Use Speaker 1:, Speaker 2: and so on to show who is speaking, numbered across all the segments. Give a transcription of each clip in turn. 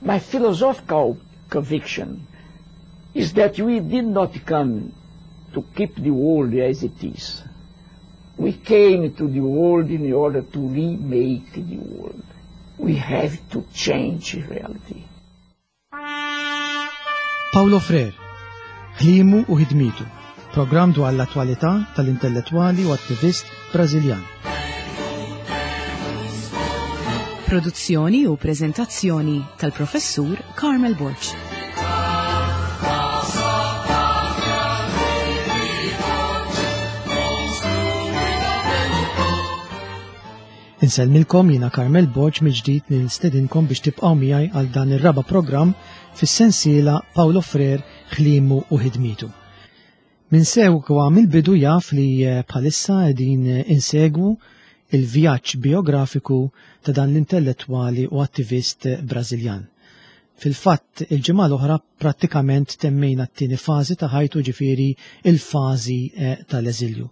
Speaker 1: My philosophical conviction is that we did not come to keep the world as it is. We came to the world in order to remake the world. We have to change reality.
Speaker 2: Paulo Freire, ħliemu u ħidmietu, programm dwar l-attwalità tal-intellettwali u attivist Brażiljan.
Speaker 3: Produzzjoni u preżentazzjoni tal-Professur Carmel Borg.
Speaker 2: Insellmilkom jiena Carmel Borg mill-ġdid nistedinkom biex tibqgħu miegħi għal dan ir-raba' programm fis-sensiela Paulo Freire ħliemu u ħidmietu. Min segwa mill-bidu jaf li eh, bħalissa qegħdin eh, insegwu il-vjaġġ biografiku ta' dan l-intellettwali u attivist eh, Brażiljan. Fil-fatt, il-ġimgħa l-oħra prattikament temmejna t-tieni fażi ta' ħajtu ġifieri il-fażi tal-eżilju.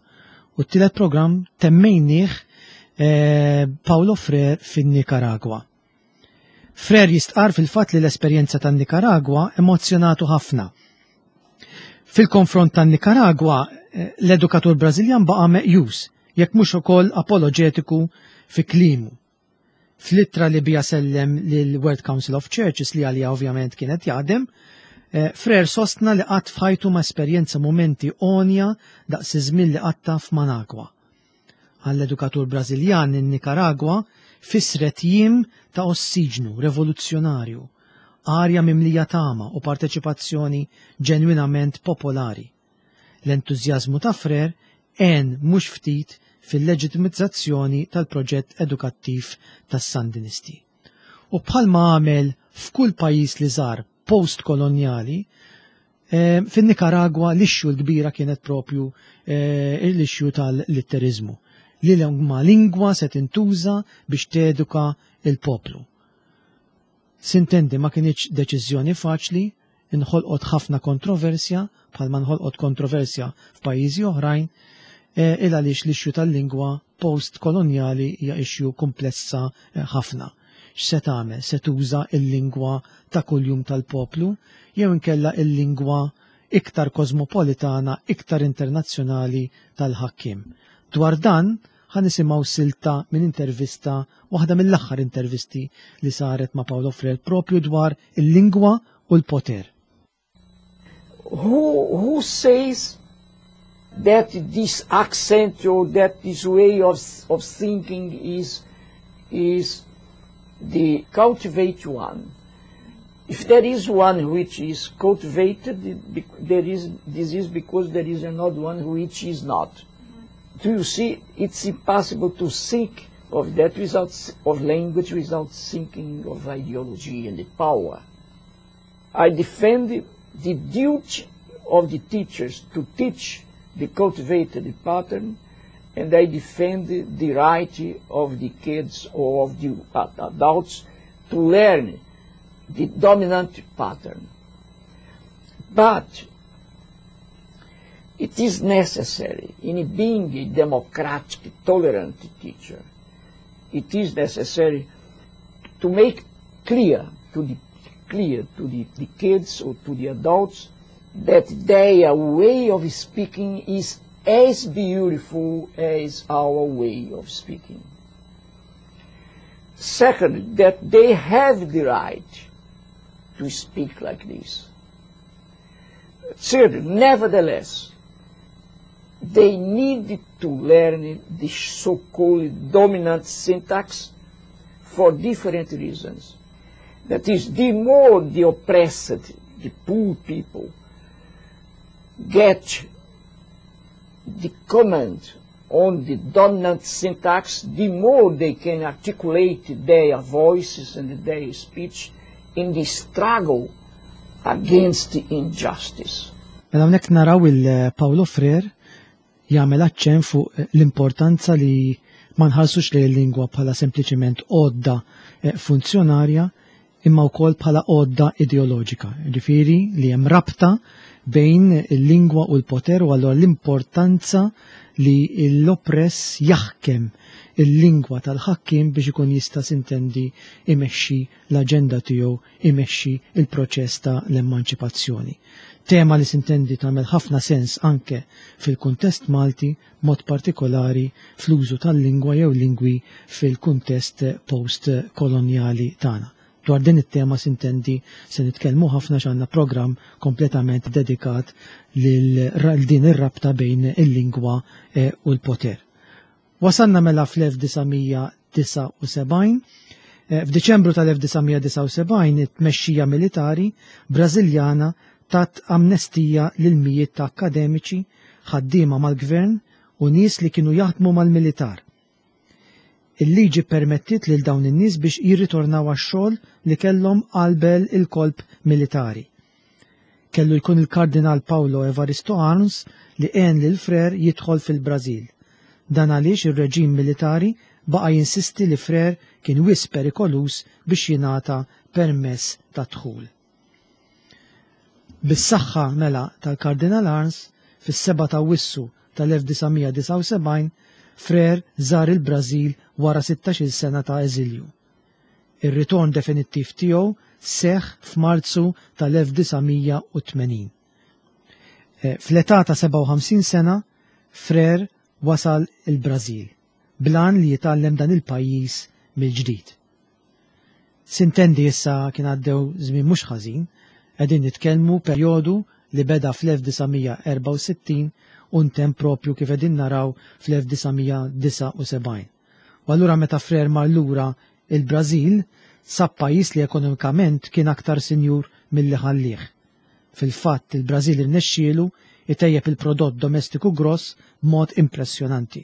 Speaker 2: U t-tielet programm temmejnieh eh, Paulo Freire fin-Nikaragwa. Freire jistqar fil-fatt li l-esperjenza tan-Nikaragwa emozzjonatu ħafna. Fil-konfront tan-Nikaragwa, eh, l-edukatur Brażiljan baqa' meqjus, jekk mhux ukoll apoloġetiku fi klimu. Fl-ittra li biha sellem lil World Council of Churches li għaliha ovvjament kienet jaħdem, eh, Freire sostna li qatt f'ħajtu ma esperjenza mumenti għonja daqs iż-żmien li qatta f'Managwa. Għall-edukatur Brażiljan in-Nikaragwa fissret jiem ta' ossiġnu revoluzzjonarju, arja mimlija tama u parteċipazzjoni ġenwinament popolari. L-entużjażmu ta' Freire għen mhux ftit fil-leġitimizzazzjoni tal-proġett edukattiv tas-Sandinisti. U bħalma għamel f'kull pajjiż li żar post-kolonjali, eh, fin-Nikaragwa l-issue l-kbira kienet propju eh, l-issue tal-litterizmu li ma lingwa se tintuża biex teduka il-poplu. Sintendi ma kinitx deċiżjoni faċli, inħolqot ħafna kontroversja, bħalma nħolqot kontroversja f'pajjiżi oħrajn, eh, il għaliex l-issue tal-lingwa post-kolonjali hija issue komplessa eh, ħafna. X'se tagħmel? Se tuża l-lingwa ta' kuljum tal-poplu jew inkella il-lingwa iktar kosmopolitana, iktar internazzjonali tal-ħakkiem. Dwar dan, ħa nisimgħu silta minn intervista, waħda mill-aħħar intervisti li saret ma' Paulo Freire propju dwar il-lingwa u l-poter.
Speaker 1: Who, who says that this accent or that this way of, of thinking is, is the cultivated one? If there is one which is cultivated, there is, this is because there is another one which is not. Do you see? It's impossible to think of that without, of language without thinking of ideology and the power. I defend the duty of the teachers to teach the cultivated pattern, and I defend the right of the kids or of the adults to learn the dominant pattern. But it is necessary in being a democratic, tolerant teacher, it is necessary to make clear to the clear to the, the kids or to the adults that their way of speaking is as beautiful as our way of speaking. Second, that they have the right to speak like this. Third, nevertheless, they need to learn the so-called dominant syntax for different reasons. That is, the more the oppressed, the poor people, get the command on the dominant syntax, the more they can articulate their voices and their speech in the struggle against the injustice.
Speaker 2: Mela hawnhekk naraw il-Paulo Freire jagħmel aċċenn fuq l-importanza li ma nħarsux lejn il-lingwa bħala sempliċiment għodda eh, funzjonarja. imma wkoll bħala għodda ideoloġika. Ġifieri li hemm rabta bejn il-lingwa u l-poter u allura l-importanza li l-oppress jaħkem il-lingwa tal-ħakkiem biex ikun jista' sintendi imexxi l-aġenda tiegħu, imexxi il-proċess ta' l-emanċipazzjoni. Tema li sintendi tagħmel ħafna sens anke fil-kuntest Malti, mod partikolari fl-użu tal-lingwa jew lingwi fil-kuntest post-kolonjali tagħna. Dwar din it-tema sintendi se nitkellmu ħafna x'għandna programm kompletament dedikat lil din ir-rabta bejn il-lingwa eh, u l-poter. Wasalna mela fl-1979. Eh, f'Diċembru tal-1979 it-tmexxija militari Brażiljana tat amnestija lil mijiet ta' akademiċi, ħaddiema mal-gvern u nies li kienu jaħdmu mal-militar. Il-liġi permettiet lil dawn in-nies biex jirritornaw għax-xogħol li kellhom qalbel il-kolp militari. Kellu jkun il-Kardinal Paulo Evaristo Arns li għen lil Frere jidħol fil-Brażil. Dan għaliex ir-reġim militari baqa' jinsisti li Frere kien wisq perikoluż biex jingħata permess ta' dħul. Bis-saħħa mela tal-Kardinal Arns, fis-7 ta' Awwissu tal-1979, Frere żar il-Brażil wara 16-il sena ta' eżilju. Ir-ritorn definittiv tiegħu seħħ f'Marzu tal-1980. Eh, fl-età ta' 57 sena, Frere wasal il-Brażil, blan li jitgħallem dan il-pajjiż mill-ġdid. Sintendi issa kien għaddew żmien mhux ħażin, qegħdin nitkellmu perjodu li beda fl-1964 u ntemm propju kif qegħdin naraw fl-1979. U allura meta Frere mar lura il-Brażil, sab pajjiż li ekonomikament kien aktar sinjur milli ħallih. Fil-fatt il-Brażil irnexxielu itejjeb il-prodott domestiku gross b'mod impressjonanti.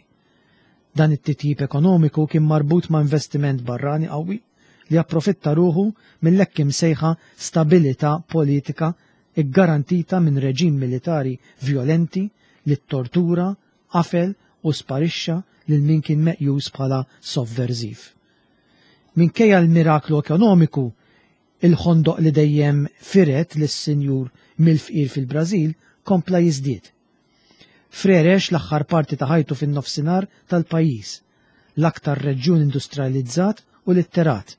Speaker 2: Dan it-titjib ekonomiku kien marbut ma' investiment barrani qawwi li approfitta ruħu mill-hekk imsejħa stabilità politika ggarantita minn reġim militari vjolenti li ttortura, qafel u sparixxa lil min kien meqjus bħala sovverżiv. Minkejja l-miraklu ekonomiku, il-ħondoq li dejjem fired lis-sinjur mill-fqir fil-Brażil kompla jiżdied. Frere għex l-aħħar parti ta' ħajtu fin-nofsinhar tal-pajjiż, l-aktar reġjun industrializzat u litterat,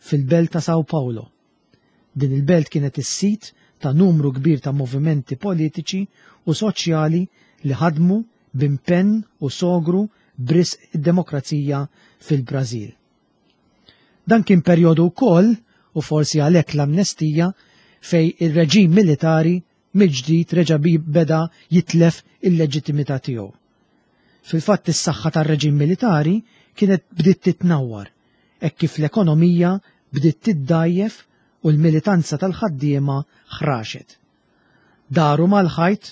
Speaker 2: fil-belt ta' São Paulo. Din il-belt kienet is-sit ta' numru kbir ta' movimenti politiċi u soċjali li ħadmu b'impenn u sogru b'risq id-demokrazija fil-Brażil. Dan kien perjodu wkoll, u forsi għalhekk l-amnestija, fejn ir-reġim militari mill-ġdid reġa' beda jitlef il-leġittimità tiegħu. Fil-fatt is-saħħa tar-reġim militari kienet bdiet titnawwar hekk kif l-ekonomija bdiet tiddgħajjef u l-militanza tal-ħaddiema ħraxet. Daru mal-ħajt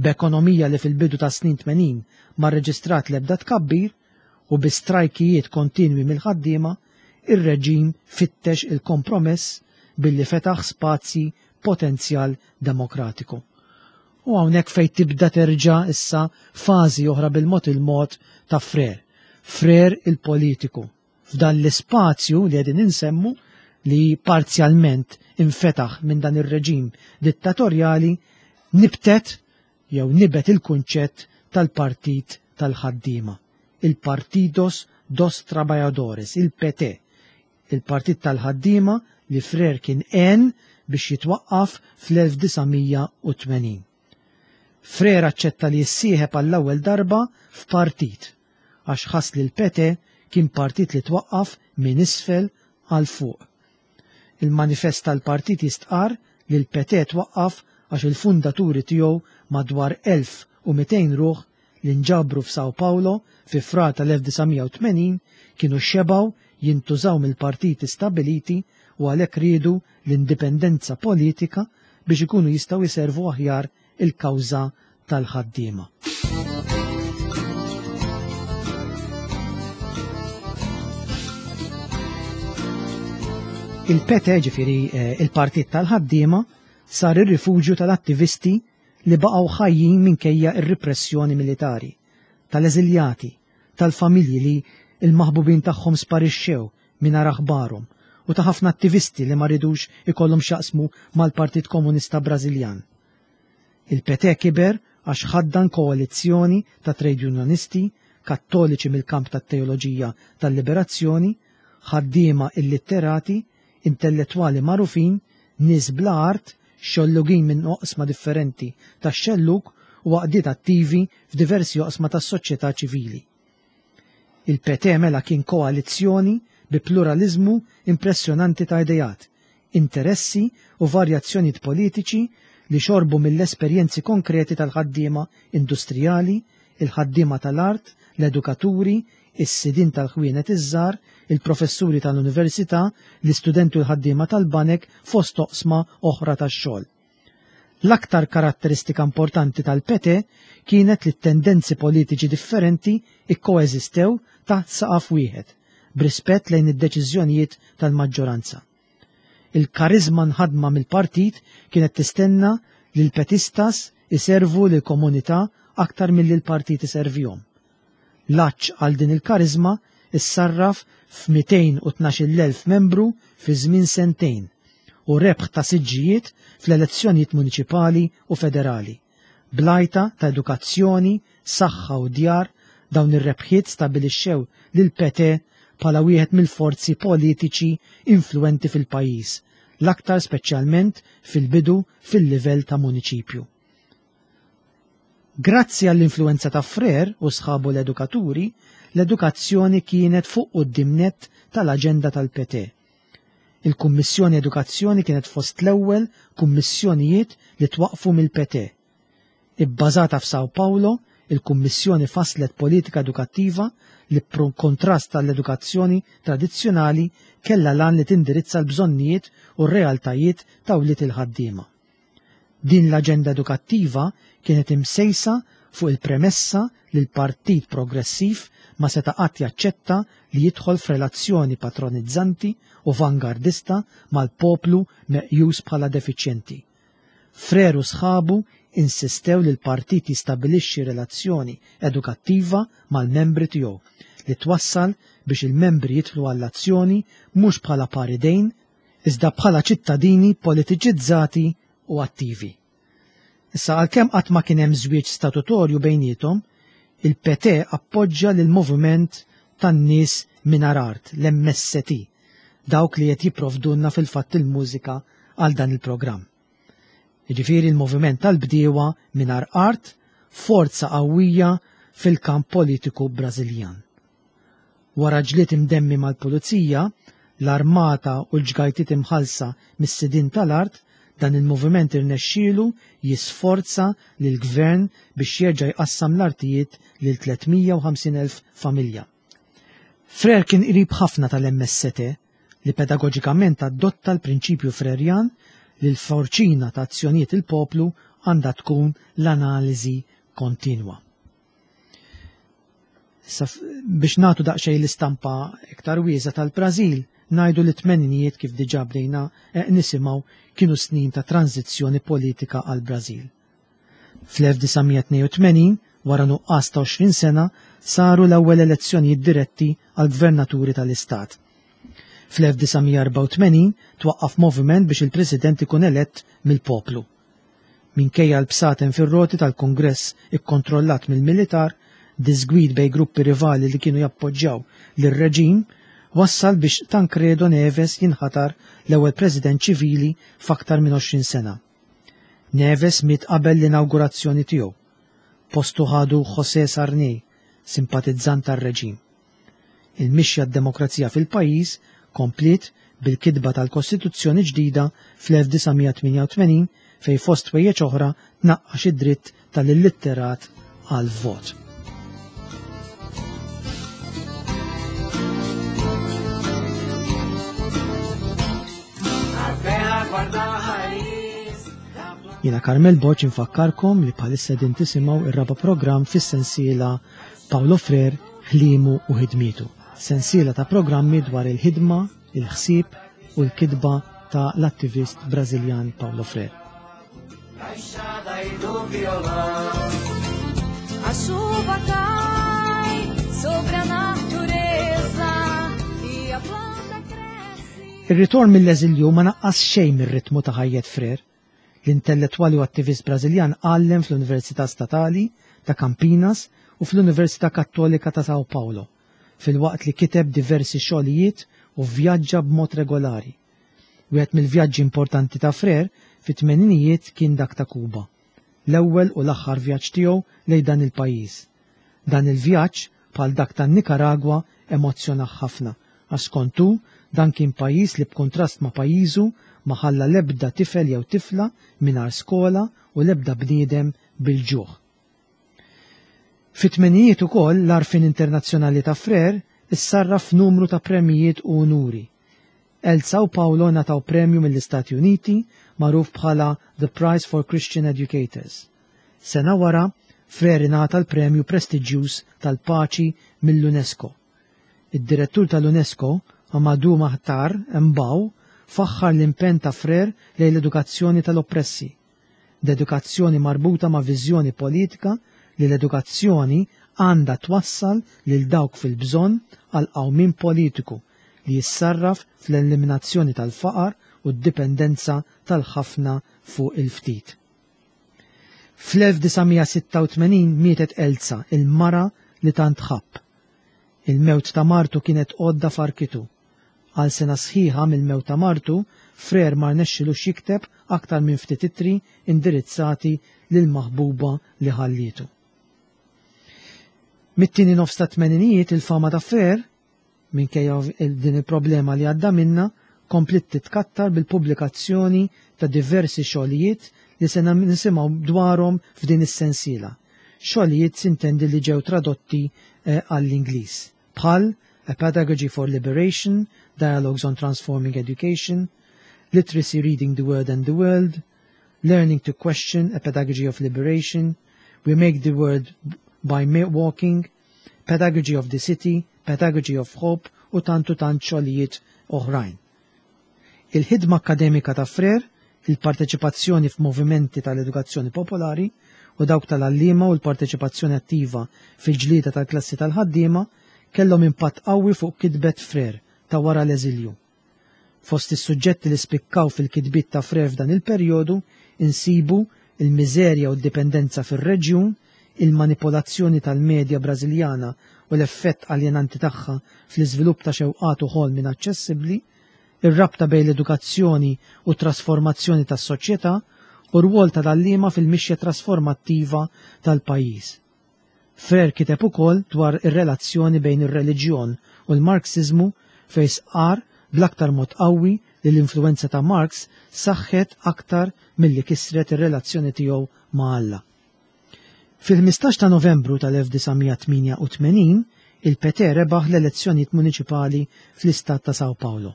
Speaker 2: b'ekonomija li fil-bidu tas-snin 80 ma rreġistrat l-ebda tkabbir u bi strajkijiet kontinwi mill-ħaddiema, ir-reġim fittex il-kompromess billi fetaħ spazji potenzjal demokratiku. U hawnhekk fejn tibda terġa' issa fażi oħra bil-mod il-mod ta' Frere. Frere il-politiku. F'dan l-ispazju li qegħdin insemmu li parzjalment infetaħ minn dan ir-reġim dittatorjali nibtet jew nibet il-kunċett tal-Partit tal-Ħaddiema, il-Partidos dos Trabalhadores, il-PT, il-Partit tal-Ħaddiema li Frere kien għen biex jitwaqqaf fl-1980. Frere aċċetta li jissieħeb għall-ewwel darba f'partit għax ħass li l-PT kien partit li twaqqaf minn isfel għal fuq. Il-manifest tal-partit jistqarr li l-PT twaqqaf għax il-fundaturi tiegħu madwar 1200 ruħ li nġabru f'São Paulo fi Frar tal-1980 kienu xebgħu jintużaw mill-partiti stabbiliti u għalhekk riedu l-indipendenza politika biex ikunu jistgħu jservu aħjar il-kawża tal-ħaddiema. Il-PT, ġifieri eh, il-Partit tal-Ħaddiema, sar ir-rifuġju tal-attivisti li baqgħu ħajjin minkejja r-ripressjoni militari, tal-eżiljati, tal-familji li l-maħbubin tagħhom sparixxew mingħajr aħbarhom u u ta' ħafna attivisti li ma ridux ikollhom x'jaqsmu mal-Partit Komunista Brażiljan. Il-PT kiber għax ħaddan koalizzjoni ta' trade unionisti, kattoliċi mill-kamp tat-teoloġija tal-liberazzjoni, ħaddiema illitterati, intellettwali magħrufin, nies bla art, xollugin minn oqsma differenti tax-xellug u għaqdiet attivi f'diversi oqsma tas-soċjetà ċivili. Il-PT mela kien koalizzjoni bi pluraliżmu impressjonanti ta' ideat, interessi u varjazzjonijiet politiċi li xorbu mill-esperjenzi konkreti tal-ħaddiema industrijali, il-ħaddiema tal-art, l-edukaturi, is-sidien tal-ħwienet iż-żgħar, il-professuri tal-università, l-istudenti u l-ħaddiema tal-banek fost oqsma oħra tax-xogħol. L-aktar karatteristika importanti tal-PT kienet li t-tendenzi politiċi differenti ikkoeżistew taħt saqaf wieħed, b'rispett lejn id-deċiżjonijiet tal-maġġoranza. Il-kariżma nħadma mill-partit kienet tistenna li l-petistas iservu lill-komunità aktar milli l-partit iservihom. L-għatx għal din il-kariżma issarraf f'212,000 membru fi żmien sentejn u rebħ ta' siġġijiet fl-elezzjonijiet muniċipali u federali. Bl-għajta ta' edukazzjoni, saħħa u djar, dawn ir-rebħiet stabilixxew lill-PT bħala wieħed mill-forzi politiċi influwenti fil-pajjiż, l-aktar speċjalment fil-bidu fil-livell ta' muniċipju. Grazzi għall-influwenza ta' Frere u sħabu l-edukaturi, l-edukazzjoni kienet fuq quddiem nett tal-aġenda tal-PT. Il-Kummissjoni Edukazzjoni kienet fost l-ewwel kummissjonijiet li twaqqfu mill-PT. Ibbażata f'São Paulo, il-Kummissjoni fasslet politika edukattiva li b'kuntrast għall-edukazzjoni tradizzjonali kellha l-għan li tindirizza l-bżonnijiet u r-realtajiet ta' wlied il-ħaddiema. Din l-aġenda edukattiva kienet imsejsa fuq il-premessa li l-Partit Progressiv ma seta' qatt jaċċetta li jidħol f'relazzjoni patronizzanti u vangardista mal-poplu meqjus bħala defiċjenti. Frere u sħabu insistew li l-partit jistabilixxi relazzjoni edukattiva mal-membri tiegħu li twassal biex il-membri jidħlu għall-azzjoni mhux bħala par idejn iżda bħala ċittadini politiċizzati u attivi. Issa għalkemm qatt ma kien hemm żwieġ statutorju bejniethom, il-PT appoġġja lill-moviment tan-nies mingħajr art, l-MST, dawk li qed jipprovdulna fil-fatt il-mużika għal dan il-programm. Jiġifieri l-moviment tal-bdiewa mingħajr art, forza qawwija fil-kamp politiku Brażiljan. Wara ġlied imdemmi mal-pulizija, l-armata u l-ġgajtiet imħallsa mis-sidien tal-art, dan il-moviment irnexxielu jisforza lill-gvern biex jerġa' jqassam l-artijiet lil 350,000 familja. Frere kien qrib ħafna tal-MST li pedagoġikament adotta l-prinċipju Frerjan li l-forċina ta' azzjonijiet il-poplu għandha tkun l-analiżi kontinwa. Issa biex nagħtu daqsxejn l-istampa iktar wiesa tal-Brażil, ngħidu li t-tmeninijiet kif diġà bdejna eh, nisimgħu kienu snin ta' tranżizzjoni politika għall-Brażil. Fl-1982, wara nuqqas ta' 20 sena, saru l-ewwel elezzjonijiet diretti għal gvernaturi tal-istat. Fl-1984 twaqqaf moviment biex il-President ikun elett mill-poplu. Minkejja l-bsaten fir-roti tal-Kungress ikkontrollat mill-militar, diżgwid bejn gruppi rivali li kienu jappoġġjaw lir-reġim wassal biex Tancredo Neves jinħatar l-ewwel President ċivili f'aktar minn 20 sena. Neves miet qabel l-inawgurazzjoni tiegħu. Postu ħadu José Sarney, simpatizzant tar-reġim. Il-mixja għad-demokrazija fil-pajjiż kompliet bil-kitba tal-Kostituzzjoni ġdida fl-1988 fejn fost ħwejjeġ oħra tnaqqax id-dritt tal-illitterat għall-vot. Jiena Carmel Borg infakkarkom li bħalissa din tisimgħu ir-raba' programm fis-sensiela Paulo Frere, ħliemu u ħidmietu. Sensiela ta' programmi dwar il-ħidma, il-ħsieb u l-kitba ta' l-attivist Brażiljan Paulo Frere. Ir-ritorn mill-eżilju ma naqqas xejn mir-ritmu ta' ħajjet Freire. L-intellettwali u attivist Brażiljan għallem fl-Università Statali ta' Campinas u fl-Università Kattolika ta' São Paulo, filwaqt li kiteb diversi xogħlijiet u vvjaġġa b'mod regolari. Wieħed mill-vjaġġi importanti ta' Freire fit-tmeninijiet kien dak ta' Kuba, l-ewwel u l-aħħar vjaġġ tiegħu lejn dan il-pajjiż. Dan il-vjaġġ, bħal dak tan-Nikaragwa, emozzjonah ħafna għax skont hu dan kien pajjiż li b'kuntrast ma' pajjiżu ma ħalla l-ebda tifel jew tifla mingħajr skola u l-ebda bniedem bil-ġuħ. Fit-tmenijiet ukoll l-għarfien internazzjonali ta' Freire issarraf f'numru ta' premjijiet u unuri. Elza u Paulo ngħataw premju mill-Istati Uniti magħruf bħala The Prize for Christian Educators. Sena wara, Freire ingħata l-premju prestiġjuż tal-Paċi mill-UNESCO. Id-direttur tal-UNESCO, Amadou Mahtar Mbow, faħħar l-impenn ta' Freire lejn l-edukazzjoni tal-oppressi. L-edukazzjoni marbuta ma' viżjoni politika li l-edukazzjoni għandha twassal lil dawk fil-bżonn għal qawmien politiku li jissarraf fl-eliminazzjoni tal-faqar u d-dipendenza tal-ħafna fuq il-ftit. Fl-1986 mietet Elza, il-mara li tant ħabb. Il-mewt ta' martu kienet għodda farkitu. Għal sena sħiħa mill-mewt ta' martu, Freire ma rnexxilux jikteb aktar minn ftit ittri indirizzati lill-maħbuba li ħallietu. Mit-tieni nofs tat-tmeninijiet il-fama ta' Freire, minkejja din il-problema li għadda minnha, kompliet titkattar bil-pubblikazzjoni ta' diversi xogħlijiet li se nisimgħu dwarhom f'din is-sensiela. Xogħlijiet sintendi li ġew tradotti għall-Ingliż, bħal A Pedagogy for Liberation, Dialogues on Transforming Education, Literacy Reading the Word and the World, Learning to Question, A Pedagogy of Liberation, We Make the World by Walking, Pedagogy of the City, Pedagogy of Hope u tant u tant xogħlijiet oħrajn. Il-ħidma akkademika ta' Freire, il-parteċipazzjoni f'movimenti tal-edukazzjoni popolari u dawk tal-għalliema u l-parteċipazzjoni attiva fil-ġlieda tal-klassi tal-ħaddiema kellhom impatt qawwi fuq kitbet Freire ta' wara l-eżilju. Fost is-suġġetti li spikkaw fil-kitbiet ta' Freire f'dan il-perjodu insibu il-miżerja u d-dipendenza fir-reġjun, il-manipolazzjoni tal-medja Brażiljana u l-effett aljenanti tagħha fl-iżvilupp ta' xewqat u ħolm inaċċessibbli, ir-rabta bejn l-edukazzjoni u t-trasformazzjoni tas-soċjetà u r-rwol tal-għalliema fil-mixja trasformattiva tal-pajjiż. Freire kiteb ukoll dwar ir-relazzjoni bejn ir-reliġjon u l-Marxiżmu fejn stqarr bl-aktar mod qawwi li l-influwenza ta' Marx saħħet aktar milli kisret ir-relazzjoni tiegħu ma' Alla. Fil-15 ta' Novembru tal-1988, il-PT rebaħ l-elezzjonijiet muniċipali fl-istat ta' São Paulo.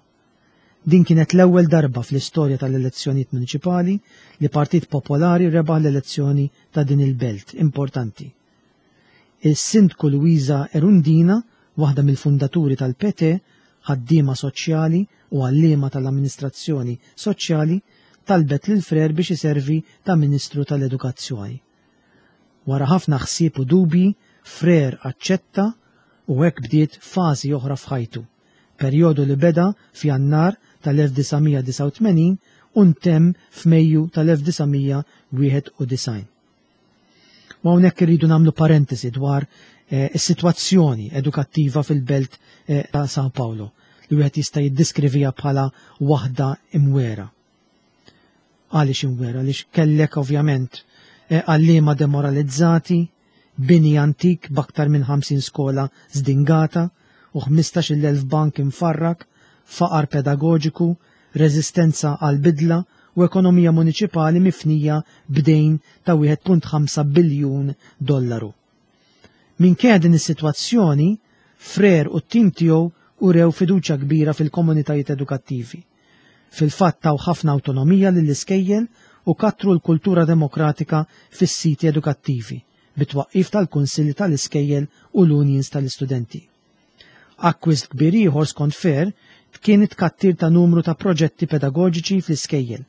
Speaker 2: Din kienet l-ewwel darba fl-istorja tal-elezzjonijiet muniċipali li Partit Popolari rebaħ l-elezzjoni ta' din il-belt importanti. Il-Sindku Luiza Erundina, waħda mill-fundaturi tal-PT, ħaddiema soċjali u għalliema tal-amministrazzjoni soċjali, talbet lil Freire biex iservi ta' Ministru tal-Edukazzjoni. Wara ħafna ħsieb u dubji, Freire aċċetta u hekk bdiet fażi oħra f'ħajtu, perjodu li beda f'Jannar tal-1989 u ntemm f'Mejju tal-1991. U hawnhekk irridu nagħmlu parentesi dwar is-sitwazzjoni edukattiva fil-belt ta' São Paulo li wieħed jista' jiddiskrivija bħala waħda imwera. Għaliex imwera? Għaliex kellek ovvjament għalliema demoralizzati, bini antik b'aktar minn 50 skola zdingata u 15,000 bank imfarrak, faqar pedagoġiku, reżistenza għal bidla u ekonomija muniċipali mifnija b'dejn ta' 1.5 biljun dollaru. Minkejja din is-sitwazzjoni, Freire u t-tim tiegħu urew fiduċja kbira fil-komunitajiet edukattivi. Fil-fatt taw ħafna awtonomija lill-iskejjel u kattru l-kultura demokratika fis-siti edukattivi bit-twaqqif tal-kunsilli tal-iskejjel u l-unions tal-istudenti. Akkwist kbir ieħor skont Freire kien it-tkattir ta' numru ta' proġetti pedagoġiċi fl-iskejjel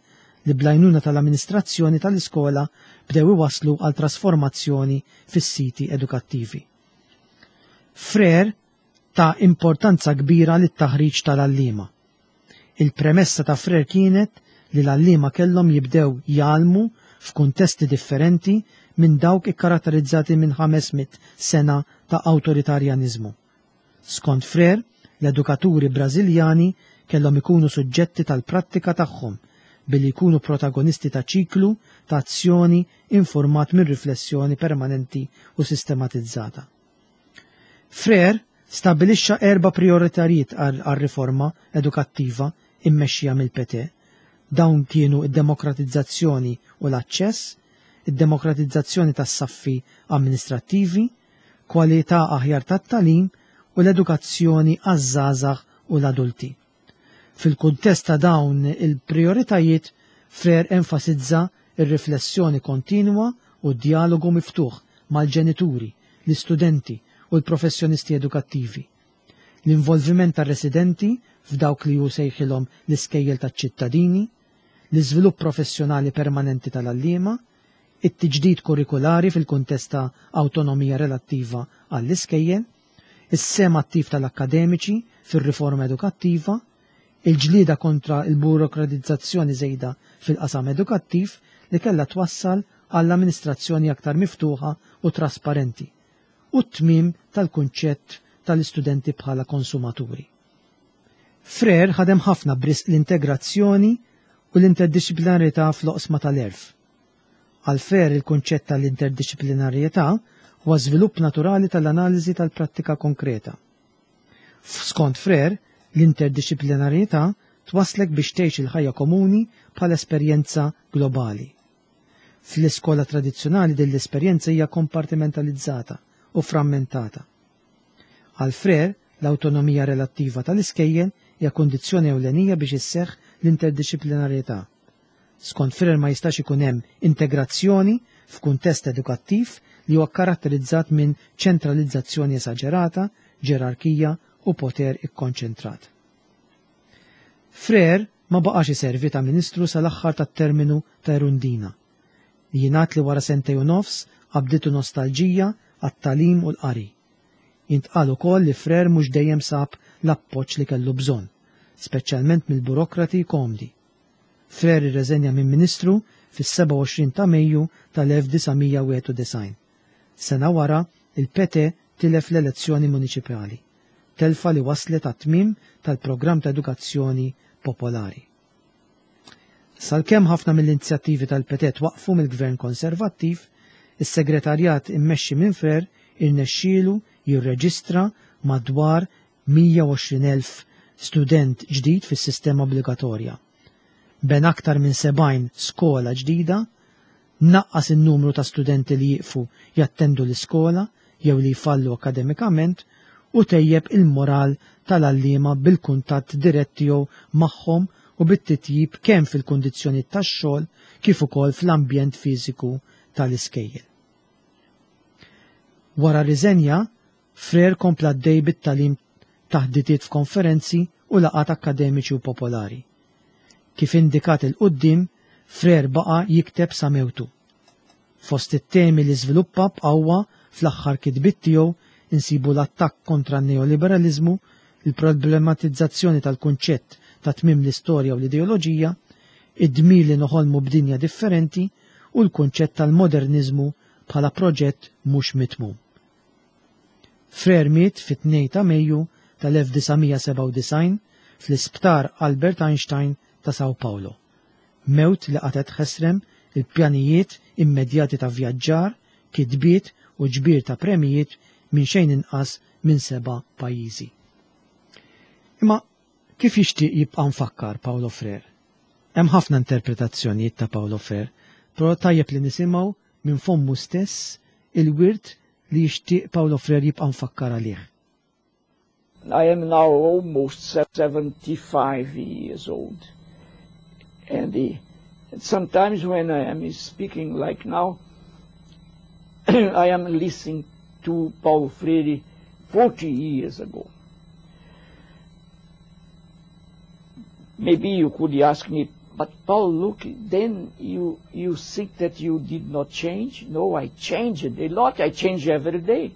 Speaker 2: li bl-għajnuna tal-amministrazzjoni tal-iskola bdew iwasslu għal trasformazzjoni fis-siti edukattivi. Freire ta importanza kbira lit-taħriġ tal-għalliema. Il-premessa ta' Freire kienet li l-għalliema kellhom jibdew jgħallmu f'kuntesti differenti minn dawk ikkaratterizzati minn 500 sena ta' awtoritarjaniżmu. Skont Freire, l-edukaturi Brażiljani kellhom ikunu suġġetti tal-prattika tagħhom billi jkunu protagonisti ta' ċiklu ta' azzjoni informat minn riflessjoni permanenti u sistematizzata. Freire stabilixxa erba' prioritajiet għar-riforma edukattiva immexxija mill-PT. Dawn kienu id-demokratizzazzjoni u l-aċċess, id-demokratizzazzjoni tas-saffi amministrattivi, kwalità aħjar tat-tagħlim u l-edukazzjoni għaż-żgħażagħ u l-adulti. Fil-kuntest ta' dawn il-prioritajiet, Freire enfasizza ir-riflessjoni kontinwa u d-dialogu miftuħ mal-ġenituri, l-istudenti u l-professjonisti edukattivi. L-involviment tar-residenti f'dawk li hu sejħilhom l-iskejjel taċ-ċittadini, l-iżvilupp professjonali permanenti tal-għalliema, it-tiġdid kurrikulari fil-kuntest ta' awtonomija relattiva għall-iskejjel, is-sehem attiv tal-akkademiċi fir-riforma edukattiva, il-ġlieda kontra l-burokratizzazzjoni żejda fil-qasam edukattiv li kellha twassal għall-amministrazzjoni aktar miftuħa u trasparenti, u t-tmiem tal-kunċett tal-istudenti bħala konsumaturi. Freire ħadem ħafna b'risq l-integrazzjoni u l-interdisciplinarjetà fl-oqsma tal-għerf. Għal Freire il-kunċett tal-interdisciplinarjetà huwa żvilupp naturali tal-analiżi tal-prattika konkreta. Skont Freire, l-interdisciplinarjetà twaslek biex tgħix il-ħajja komuni bħala esperjenza globali. Fl-iskola tradizzjonali din l-esperjenza hija kompartimentalizzata u frammentata. Għal Freire, l-awtonomija relattiva tal-iskejjel hija kundizzjoni ewlenija biex isseħħ l-interdisciplinarjetà. Skont Freire ma jistax ikun hemm integrazzjoni f'kuntest edukattiv li huwa karatterizzat minn ċentralizzazzjoni esaġerata, ġerarkija u poter ikkonċentrat. Freire ma baqax iservi ta' ministru sal-aħħar tat-terminu ta' Erundina. Jingħad li wara sentejn u nofs qabditu nostalġija għat-tagħlim u l-qari. Jintqal ukoll li Freire mhux dejjem sab l-appoġġ li kellu bżonn, speċjalment mill-burokrati komdi. Freire irreżenja minn ministru fis-27 ta' Mejju tal-1991. Sena wara, il-PT tilef l-elezzjoni muniċipali, telfa li waslet għat-tmiem tal-programm ta' edukazzjoni popolari. Sal-kemm ħafna mill-inizjattivi tal-PT waqfu mill-Gvern Konservattiv, is-segretarjat immexxi minn Freire irnexxielu jirreġistra madwar 120,000 student ġdid fis-sistema obbligatorja. Ben aktar minn 70 skola ġdida, naqqas in-numru ta' studenti li jiqfu jattendu l-iskola jew li jfallu akademikament u tejjeb il-moral tal-għalliema bil-kuntatt dirett tiegħu magħhom u bit-titjib kemm fil-kundizzjoni tax-xogħol kif ukoll fl-ambjent fiżiku tal-iskejjel. Wara riżenja, Freire kompla għaddej bit-tagħlim taħditiet f'konferenzi u laqgħat akademiċi u popolari. Kif indikat 'il quddiem, Freire baqa' jikteb sa mewtu. Fost it-temi li żviluppa b'qawwa fl-aħħar kitbiet tiegħu insibu l-attakk kontra n-neoliberalizmu, il-problematizzazzjoni tal-kunċett ta' tmiem l-istorja u l-ideoloġija, id-dmir li noħolmu b'dinja differenti u l-kunċett tal-modernizmu bħala proġett mhux mitmum. Freire miet fit-2 ta' Mejju tal-1997 fl-Isptar Albert Einstein ta' Sao Paulo. Mewt li qatet ħesrem il-pjanijiet immedjati ta' vjaġġar, kitbiet u ġbir ta' premijiet minn xejn inqas minn 7 pajjiżi. Imma kif jixtieq jibqa' mfakkar Paulo Freire? Hemm ħafna interpretazzjonijiet ta' Paulo Freire, però tajjeb li nisimgħu minn fommu stess il-wirt li jixtieq Paulo Freire jibqa' mfakkar għalih.
Speaker 1: I am now almost 75 years old. And sometimes when I am speaking like now, I am listening to Paulo Freire 40 years ago. Maybe you could ask me, but Paul, look, then you think that you did not change? No, I changed a lot. I change every day.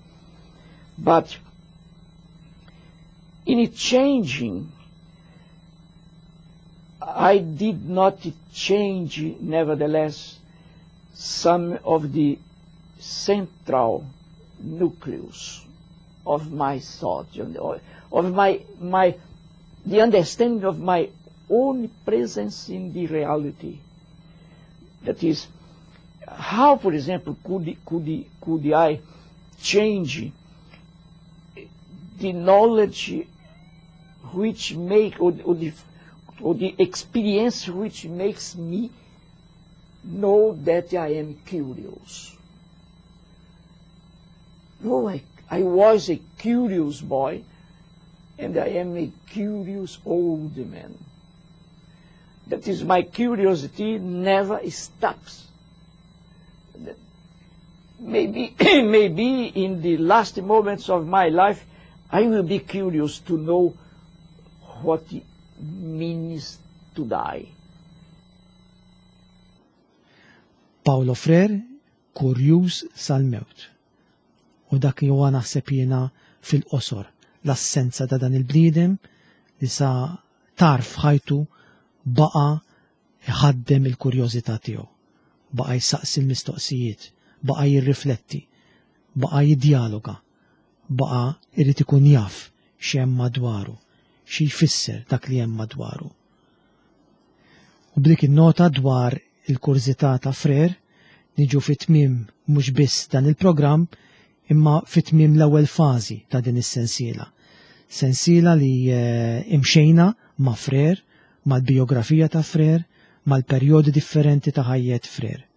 Speaker 1: But in it changing, I did not change, nevertheless, some of the central nucleus of my thought, of the understanding of my own presence in the reality. That is, how, for example, could I change the knowledge which make, or the experience which makes me know that I am curious? No, I was a curious boy, and I am a curious old man. That is, my curiosity never stops. Maybe, maybe in the last moments of my life, I will be curious to know what it means to die.
Speaker 2: Paulo Freire, kurjuż sal-mewt. U dak li huwa naħseb jiena fil-qosor, l-assenza ta' dan il-bniedem li sa tarf ħajtu baqa' iħaddem il-kurjożità tiegħu, baqa' jsaqsi l-mistoqsijiet, baqa' jirrifletti, baqa' jiddjaloga, baqa' irid ikun jaf x'hemm madwaru, xi jfisser dak li hemm madwaru. U b'dik in-nota dwar il-kurżità ta' Freire niġu fi tmiem mhux biss dan il-programm, imma fi tmiem l-ewwel fażi ta' din is-sensiela. Sensiela li imxejna ma' Freire, mal-biografija ta' Freire, mal-perjodi differenti ta' ħajjet Freire.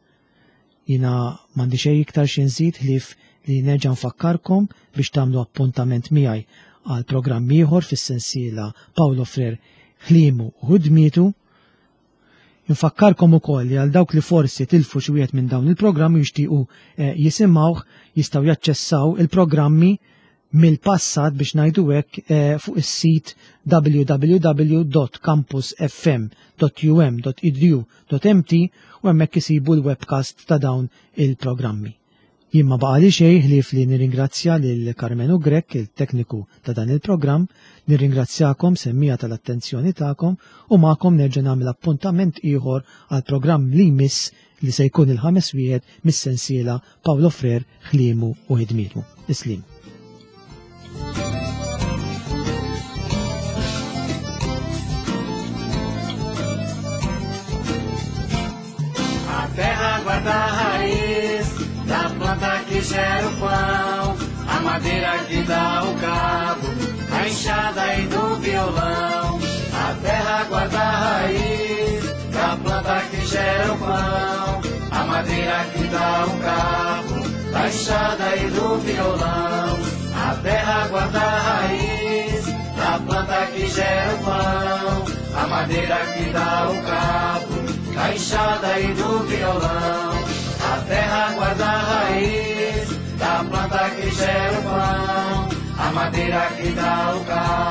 Speaker 2: Jina m'għandi xejn iktar xi nżid ħlief li nerġa' nfakkarkom biex tagħmlu appuntament miegħi għal programm ieħor fis-sensiela Paulo Freire ħliemu u ħidmietu. Infakkarkom ukoll li għal dawk li forsi tilfu xi wieħed minn dawn il-programmi jixtiequ jisimgħuh, jistgħu jaċċessaw il-programmi mill-passat biex ngħidu hekk fuq is-sit w w w dot campus f m dot u m dot e d u dot m t u hemmhekk isibu l-webcast ta' dawn il-programmi. Jien ma baqali xejn ħlief li nirringrazzja lil Karmenu Grech, il-tekniku ta' dan il-programm, nirringrazzjakom semmija tal-attenzjoni tagħkom u magħkom nerġa' nagħmel appuntament ieħor għal programm li jmiss li se jkun il-ħames wieħed mis-sensiela Paulo Freire ħliemu u ħidmietu. Islim.
Speaker 4: A terra guarda a raiz da planta que gera o pão, a madeira que dá o cabo, a enxada e do violão. A terra guarda a raiz da planta que gera o pão, a madeira que dá o cabo, da enxada e do violão. A terra guarda a raiz da planta que gera o pão, a madeira que dá o cabo, da enxada e do violão. A terra guarda a raiz da planta que gera o pão, a madeira que dá o cabo,